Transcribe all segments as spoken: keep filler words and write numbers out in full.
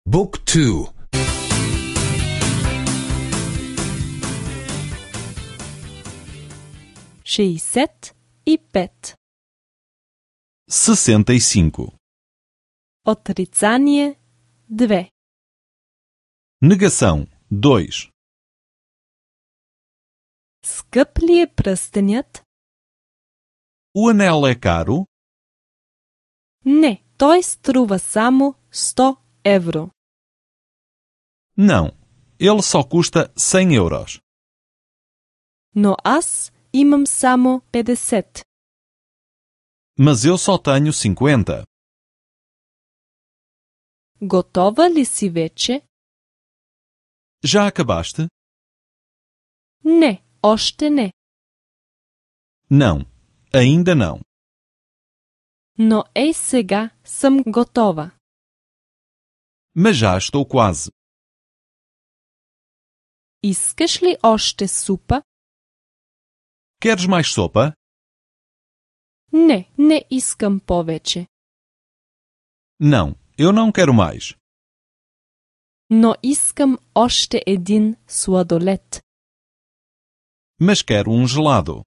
Book two. шеесет и пет. sessenta e cinco. Отрицание две. Negação dois. Скъп ли е пръстенят? O anel é caro? Не, той струва само сто евро. Não, ele só custa cem euros. Но аз имам само петдесет. Mas eu só tenho cinquenta. Готова ли си вече? Já acabaste? Не, още не. Não, ainda não. Но ей сега съм готова. Mas já estou quase. Искаш ли още супа? Queres mais sopa? Не, не искам повече. Não, eu não quero mais. Но искам още един сладолед. Mas quero um gelado.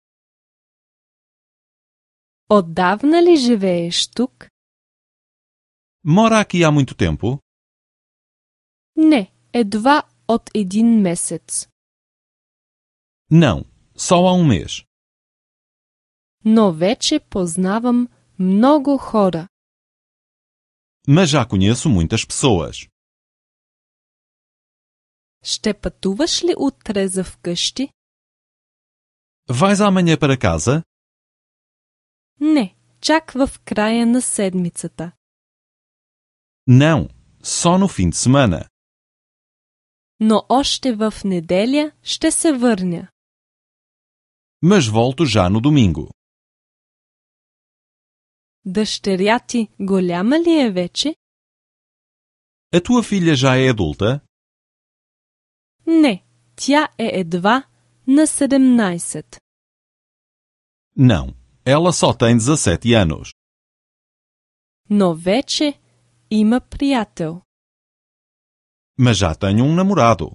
Отдавна ли живееш тук? Mora aqui há muito tempo? Не, едва от един месец. Não, só há um mês. Но вече познавам много хора. Mas já conheço muitas pessoas. Ще пътуваш ли утре за вкъщи? Vais amanhã para casa? Не, чак в края на седмицата. Não, só no fim de semana. Но още в неделя ще се върня. Mas volto já no domingo. Дъщеря ти голяма ли е вече? A tua filha já é adulta? Не, тя е едва на седемнайсет. Não, ela só tem dezassete anos. Но вече има приятел. Mas já tenho um namorado.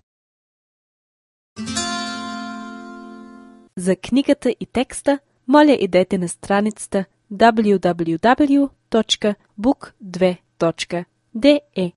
За книгата и текста, моля идете на страницата даблю даблю даблю точка бук две точка де е.